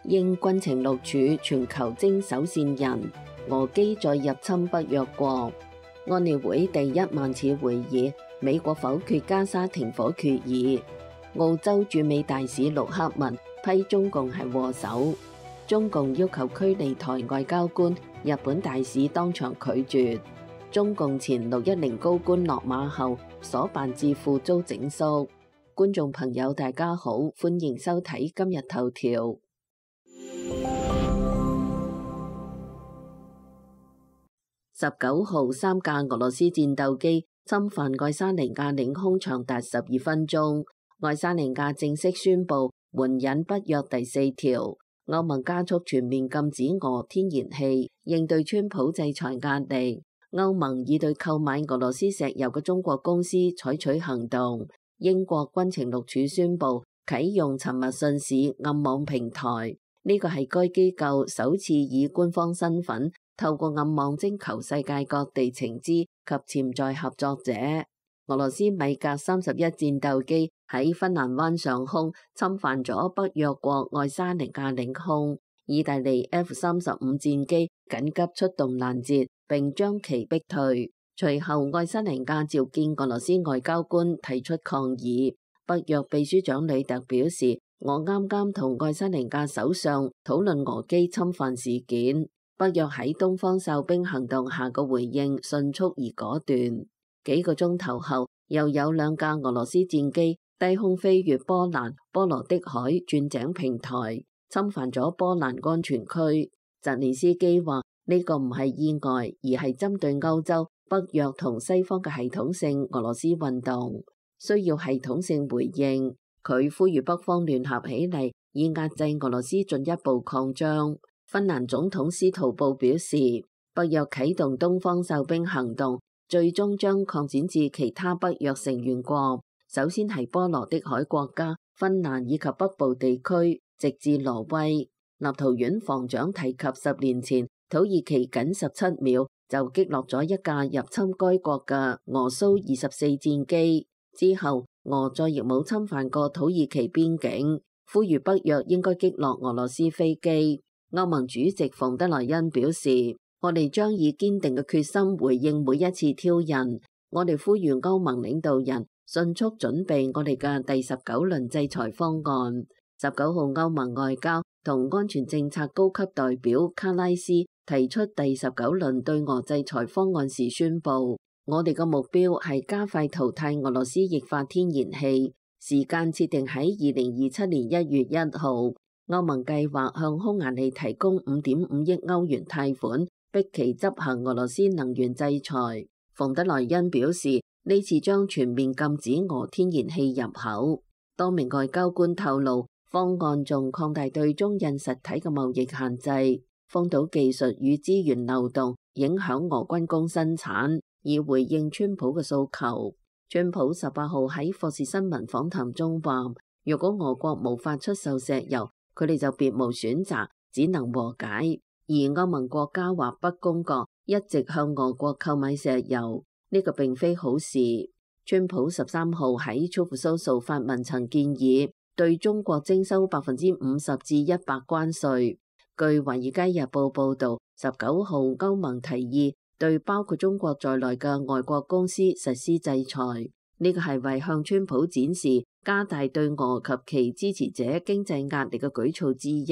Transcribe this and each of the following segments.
應軍情六處全球徵手線人，俄機再入侵北約國。安理會第1萬次會議，美國否決加沙停火決議。澳洲駐美大使陸克文批中共係禍首。中共要求驅離台外交官，日本大使當場拒絕。中共前610高官落馬後，所辦智庫遭整肅。觀眾朋友大家好，歡迎收睇今日頭條。19號3架俄羅斯戰鬥機侵犯愛沙尼亞領空長達12分鐘，愛沙尼亞正式宣布援引北約第4條，歐盟加速全面禁止俄天然氣，應對川普制裁壓力。歐盟已對購買俄羅斯石油嘅中國公司採取行動。英國軍情六處宣布啟用沉默信使暗網平台，呢個係該機構首次以官方身份透過暗網徵求世界各地情資及潛在合作者。俄羅斯米格31戰鬥機喺芬蘭灣上空侵犯咗北約國愛沙尼亞領空，意大利 F-35戰機緊急出動攔截並將其逼退。隨後愛沙尼亞召見俄羅斯外交官提出抗議。北約秘書長呂特表示，我啱啱同愛沙尼亞首相討論俄機侵犯事件。北約喺東方哨兵行動下嘅回應迅速而果斷。幾個鐘頭後，又有2架俄羅斯戰機低空飛越波蘭波羅的海鑽井平台，侵犯咗波蘭安全區。澤連斯基話呢個唔係意外，而係針對歐洲、北約同西方嘅系統性俄羅斯運動，需要系統性回應。佢呼籲北方聯合起嚟，以壓制俄羅斯進一步擴張。芬蘭總統斯圖布表示，北約啟動東方哨兵行動，最終將擴展至其他北約成員國，首先係波羅的海國家芬蘭以及北部地區，直至挪威。立陶宛防長提及10年前土耳其僅17秒就擊落咗一架入侵該國嘅俄蘇24戰機，之後俄再亦冇侵犯過土耳其邊境，呼籲北約應該擊落俄羅斯飛機。歐盟主席馮德萊恩表示，我哋將以堅定嘅決心回應每一次挑釁。我哋呼籲歐盟領導人迅速準備我哋嘅第19輪制裁方案。19號歐盟外交同安全政策高級代表卡拉斯提出第19輪對俄制裁方案時宣布，我哋嘅目標係加快淘汰俄羅斯液化天然氣，時間設定喺2027年1月1號。歐盟計劃向匈牙利提供5.5億歐元貸款，逼其執行俄羅斯能源制裁。馮德萊恩表示，呢次將全面禁止俄天然氣入口。多名外交官透露，方案仲擴大對中印實體嘅貿易限制，封堵技術與資源流動，影響俄軍工生產，以回應川普嘅訴求。川普18號喺霍士新聞訪談中話，如果俄國無法出售石油，佢哋就別無選擇，只能和解。而歐盟國家或北公國一直向俄國購買石油，呢個並非好事。川普13號喺 Truth Social 發文曾建議對中國徵收50%至100%關稅。據《華爾街日報》報導，19號歐盟提議對包括中國在內嘅外國公司實施制裁，呢個係為向川普展示加大對俄及其支持者經濟壓力嘅舉措之一。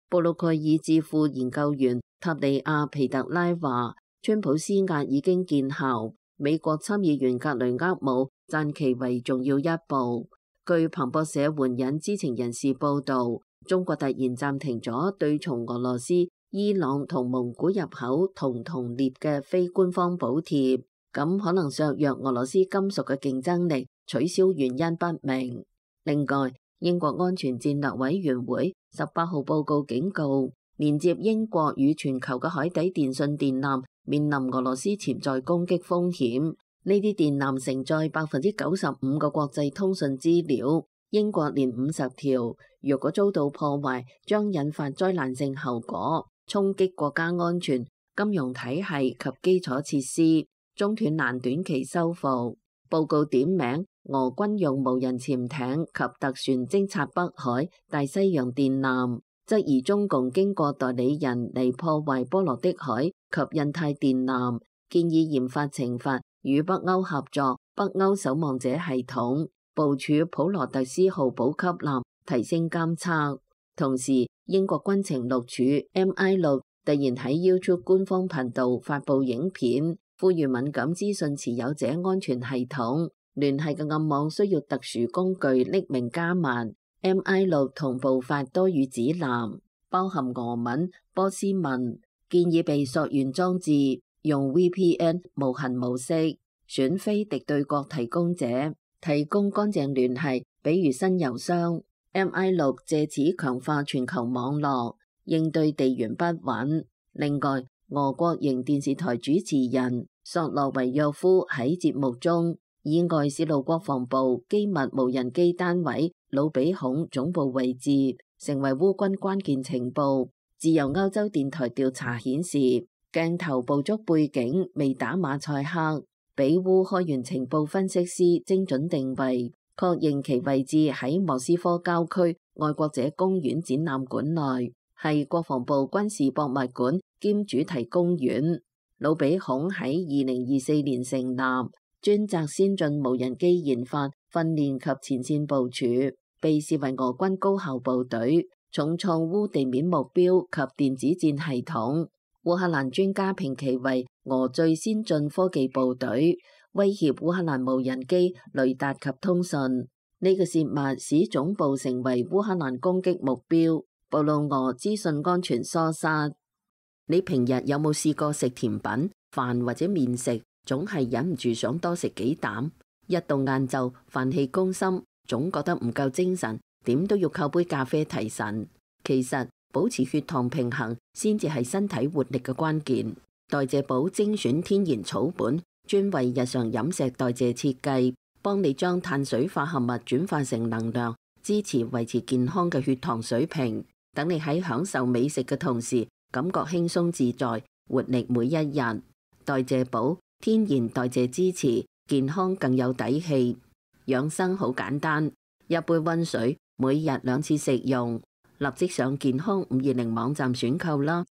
布魯蓋爾智庫研究員塔利亞皮特拉話，川普施壓已經見效，美國參議員格雷厄姆讚其為重要一步。據彭博社援引知情人士報導，中國突然暫停咗對從俄羅斯、伊朗同蒙古入口同列嘅非官方補貼，咁可能削弱俄羅斯金屬嘅競爭力，取消原因不明。另外，英國安全戰略委員會18號報告警告，連接英國與全球嘅海底電信電纜面臨俄羅斯潛在攻擊風險。呢啲電纜承載95%嘅國際通訊資料，英國連50條，若果遭到破壞，將引發災難性後果，衝擊國家安全、金融體系及基礎設施，中斷難短期修復。報告點名俄軍用無人潛艇及特船偵察北海、大西洋電纜，質疑中共經過代理人嚟破壞波羅的海及印太電纜，建議研發懲罰與北歐合作北歐守望者系統，部署普羅特斯號補給艦，提升監測。同時，英國軍情六處 MI6突然喺 YouTube 官方頻道發布影片，呼籲敏感資訊持有者安全系統聯繫嘅暗網需要特殊工具匿名加密。MI6同步發多語指南，包含俄文、波斯文，建議被溯源裝置用 VPN 無痕模式選非敵對國提供者，提供乾淨聯繫，比如新郵箱。MI6借此強化全球網絡，應對地緣不穩。另外，俄國營電視台主持人索洛維約夫喺節目中意外泄露國防部機密無人機單位魯比孔總部位置，成為烏軍關鍵情報。自由歐洲電台調查顯示，鏡頭捕捉背景未打馬賽克，俾烏開源情報分析師精準定位，確認其位置喺莫斯科郊區愛國者公園展覽館內，係國防部軍事博物館兼主題公園。魯比孔喺2024年成立，專責先進無人機研發、訓練及前線部署，被視為俄軍高效部隊，重創烏地面目標及電子戰系統。烏克蘭專家評其為俄最先進科技部隊，威脅烏克蘭無人機、雷達及通訊。呢個泄密使總部成為烏克蘭攻擊目標，暴露俄資訊安全疏失。你平日有冇試過食甜品、飯或者麵食，總係忍唔住想多食幾啖？一到晏晝，飯氣攻心，總覺得唔夠精神，點都要靠杯咖啡提神。其實保持血糖平衡先至係身體活力嘅關鍵。代謝寶精選天然草本，專為日常飲食代謝設計，幫你將碳水化合物轉化成能量，支持維持健康嘅血糖水平。等你喺享受美食嘅同時，感覺輕鬆自在，活力每一日。代謝寶天然代謝支持，健康更有底氣。養生好簡單，一杯溫水，每日2次食用。立即上健康520網站選購啦！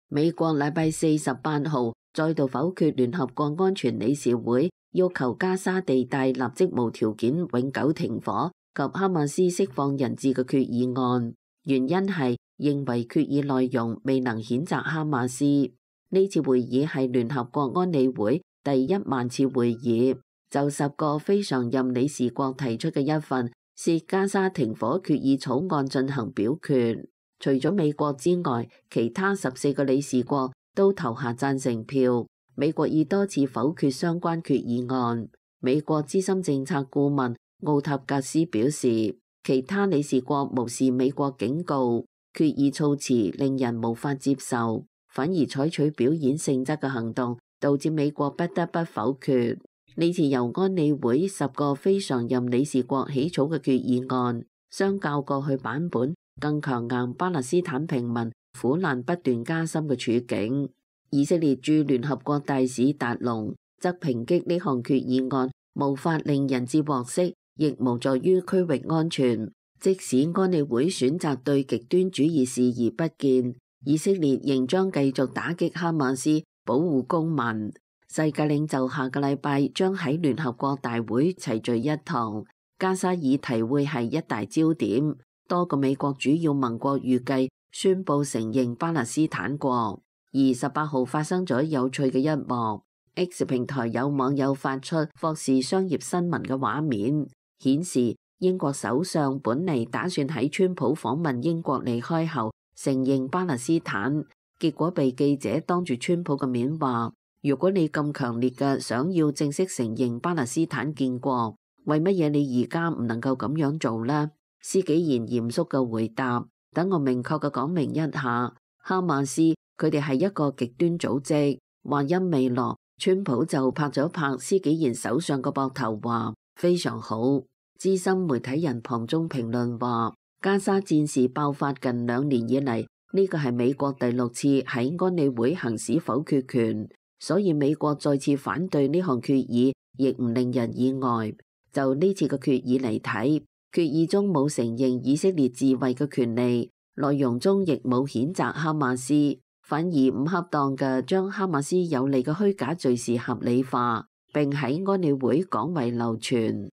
美國禮拜4 18號再度否決聯合國安全理事會要求加沙地帶立即無條件永久停火及哈馬斯釋放人質嘅決議案，原因係認為決議內容未能譴責哈馬斯。呢次會議係聯合國安理會第10000次會議，就10個非常任理事國提出嘅一份涉加沙停火決議草案進行表決。除咗美國之外，其他14個理事國都投下贊成票。美國已多次否決相關決議案。美國資深政策顧問奧塔格斯表示，其他理事國無視美國警告，決議措辭令人無法接受，反而採取表演性質嘅行動，導致美國不得不否決。呢次由安理會10個非常任理事國起草嘅決議案，相較過去版本更強硬巴勒斯坦平民苦難不斷加深嘅處境。以色列駐聯合國大使達龍則抨擊呢項決議案無法令人質獲釋，亦無助於區域安全。即使安理會選擇對極端主義視而不見，以色列仍將繼續打擊哈馬斯，保護公民。世界領袖下個禮拜將喺聯合國大會齊聚一堂，加沙議題會係一大焦點。多個美國主要盟國預計宣布承認巴勒斯坦國。而18號發生咗有趣嘅一幕 ，X 平台有網友發出霍士商業新聞嘅畫面，顯示英國首相本嚟打算喺川普訪問英國離開後承認巴勒斯坦，結果被記者當住川普嘅面話：如果你咁強烈嘅想要正式承認巴勒斯坦建國，為乜嘢你而家唔能夠咁樣做呢？施紀賢嚴肅嘅回答：等我明確嘅講明一下，哈馬斯佢哋係一個極端組織。話音未落，川普就拍咗拍施紀賢首相個膊頭，話非常好。資深媒體人龐中評論話：加沙戰事爆發近2年以嚟，呢個係美國第6次喺安理會行使否決權，所以美國再次反對呢項決議，亦唔令人意外。就呢次嘅決議嚟睇，決議中冇承認以色列自衛嘅權利，內容中亦冇譴責哈馬斯，反而唔恰當嘅將哈馬斯有利嘅虛假敘事合理化，並喺安理會廣為流傳。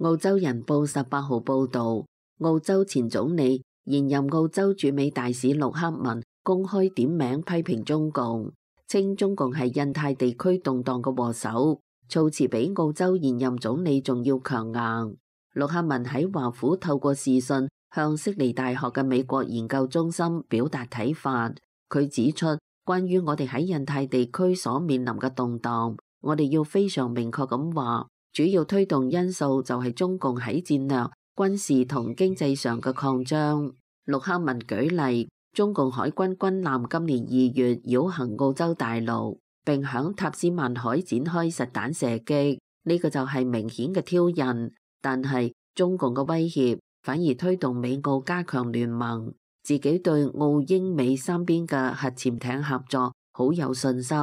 澳洲人報18號報導，澳洲前總理、現任澳洲駐美大使陸克文公開點名批評中共，稱中共係印太地區動盪嘅禍首，措辭比澳洲現任總理仲要強硬。陸克文喺華府透過視訊向悉尼大學嘅美國研究中心表達睇法。佢指出，關於我哋喺印太地區所面臨嘅動盪，我哋要非常明確咁話，主要推動因素就係中共喺戰略、軍事同經濟上嘅擴張。陸克文舉例，中共海軍軍艦今年2月繞行澳洲大陸，並響塔斯曼海展開實彈射擊，呢個就係明顯嘅挑釁。但係中共嘅威脅反而推動美澳加強聯盟，自己對澳英美三邊嘅核潛艇合作好有信心。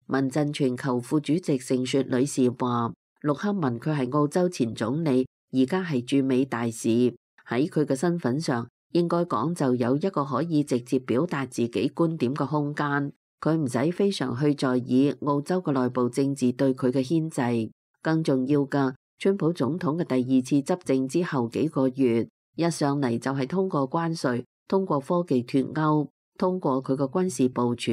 民陣全球副主席盛雪女士話，陸克文佢係澳洲前總理，而家係駐美大使，喺佢嘅身份上應該講就有一個可以直接表達自己觀點嘅空間，佢唔使非常去在意澳洲嘅內部政治對佢嘅牽制。更重要嘅，川普總統嘅第二次執政之後幾個月，一上嚟就係通過關稅、通過科技脫鈎、通過佢嘅軍事部署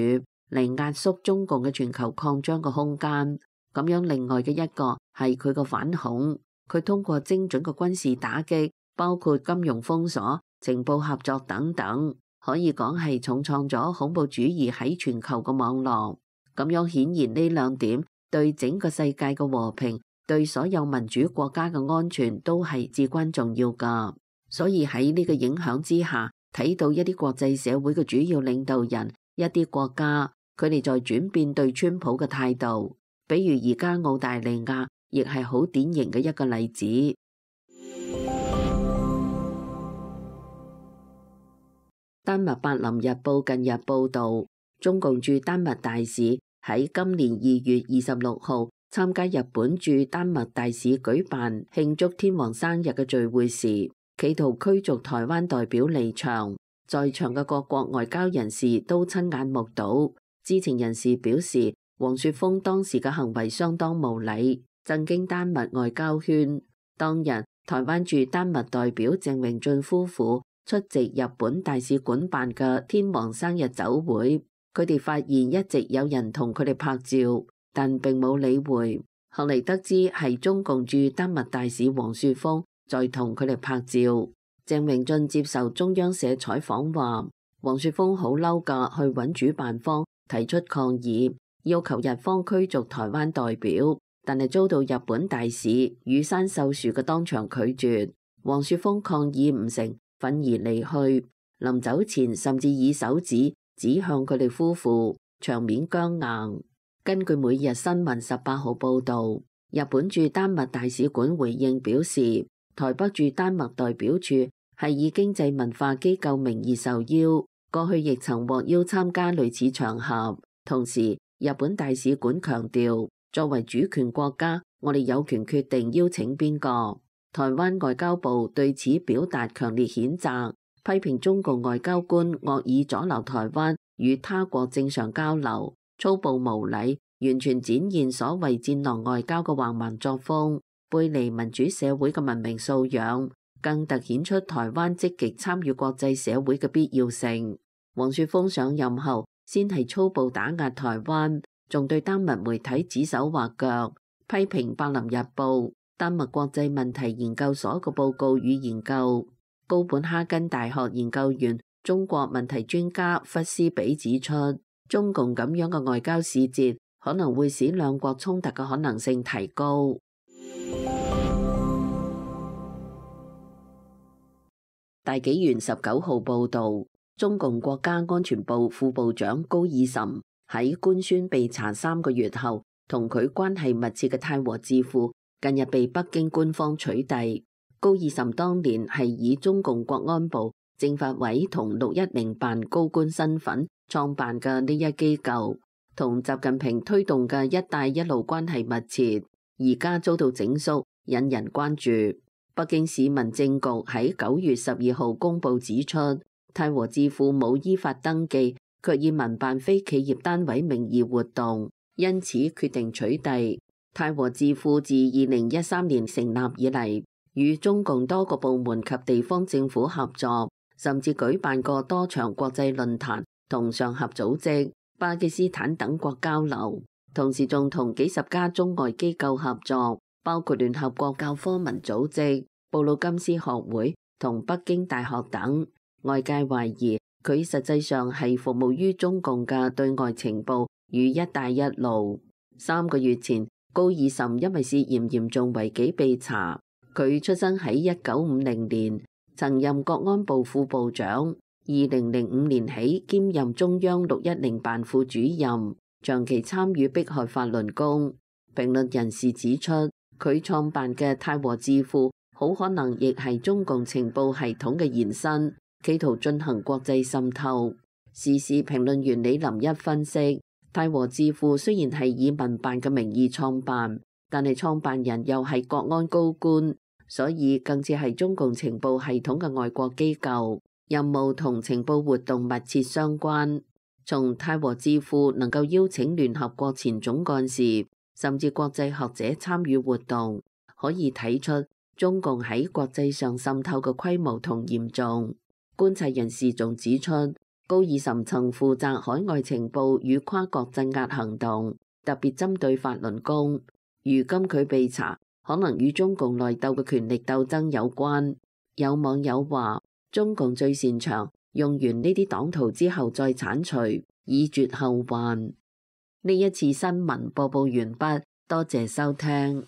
嚟壓縮中共嘅全球擴張嘅空間。咁樣另外嘅一個係佢嘅反恐，佢通過精準嘅軍事打擊，包括金融封鎖、情報合作等等，可以講係重創咗恐怖主義喺全球嘅網絡。咁樣顯然呢兩點對整個世界嘅和平、對所有民主國家嘅安全都係至關重要㗎。所以喺呢個影響之下，睇到一啲國際社會嘅主要領導人、一啲國家，佢哋在轉變對川普嘅態度。比如而家澳大利亞亦係好典型嘅一個例子。丹麥柏林日報近日報導，中共駐丹麥大使喺今年2月26號參加日本駐丹麥大使舉辦慶祝天皇生日嘅聚會時，企圖驅逐台灣代表離場。在場嘅各國外交人士都親眼目睹。知情人士表示，黃雪峰當時嘅行為相當無禮，震驚丹麥外交圈。當日，台灣駐丹麥代表鄭榮俊夫婦出席日本大使館辦嘅天皇生日酒會，佢哋發現一直有人同佢哋拍照，但並冇理會。後嚟得知係中共駐丹麥大使黃雪峰在同佢哋拍照。鄭榮俊接受中央社採訪話，黃雪峰好嬲㗎，去揾主辦方提出抗議，要求日方驅逐台灣代表，但係遭到日本大使羽山秀樹嘅當場拒絕。黃雪峰抗議唔成，憤而離去。臨走前甚至以手指指向佢哋夫婦，場面僵硬。根據每日新聞18號報導，日本駐丹麥大使館回應表示，台北駐丹麥代表處係以經濟文化機構名義受邀，過去亦曾獲邀參加類似場合。同時，日本大使館強調，作為主權國家，我哋有權決定邀請邊個。台灣外交部對此表達強烈譴責，批評中共外交官惡意阻撓台灣與他國正常交流，粗暴無禮，完全展現所謂戰狼外交嘅橫蠻作風，背離民主社會嘅文明素養，更凸顯出台灣積極參與國際社會嘅必要性。黃雪峰上任後，先係粗暴打壓台灣，仲對丹麥媒體指手畫腳，批評柏林日報、丹麥國際問題研究所嘅報告與研究。高本哈根大學研究員、中國問題專家弗斯比指出，中共咁樣嘅外交使節可能會使兩國衝突嘅可能性提高。大紀元19號報導，中共國家安全部副部長高爾岑喺官宣被查3個月後，同佢關係密切嘅太和智庫近日被北京官方取締。高爾岑當年係以中共國安部、政法委同610辦高官身份創辦嘅呢一機構，同習近平推動嘅一帶一路關係密切，而家遭到整肅，引人關注。北京市民政局喺9月12號公佈指出，泰和智庫冇依法登記，卻以民辦非企業單位名義活動，因此決定取締。泰和智庫自2013年成立以嚟，與中共多個部門及地方政府合作，甚至舉辦過多場國際論壇同上合組織、巴基斯坦等國交流，同時仲同幾十家中外機構合作，包括聯合國教科文組織、布魯金斯學會同北京大學等。外界懷疑佢實際上係服務於中共嘅對外情報與一帶一路。3個月前，高爾岑因為涉嫌嚴重違紀被查。佢出生喺1950年，曾任國安部副部長。2005年起兼任中央610辦副主任，長期參與迫害法輪功。評論人士指出，佢創辦嘅泰和智庫好可能亦係中共情報系統嘅延伸，企圖進行國際滲透。時事評論員李林一分析，泰和智庫雖然係以民辦嘅名義創辦，但係創辦人又係國安高官，所以更似係中共情報系統嘅外國機構，任務同情報活動密切相關。從泰和智庫能夠邀請聯合國前總幹事甚至國際學者參與活動，可以睇出中共喺國際上滲透嘅規模同嚴重。觀察人士仲指出，高爾岑曾負責海外情報與跨國鎮壓行動，特別針對法輪功。如今佢被查，可能與中共內鬥嘅權力鬥爭有關。有網友話，中共最擅長用完呢啲黨徒之後再剷除，以絕後患。呢一次新聞播報完畢，多謝收聽。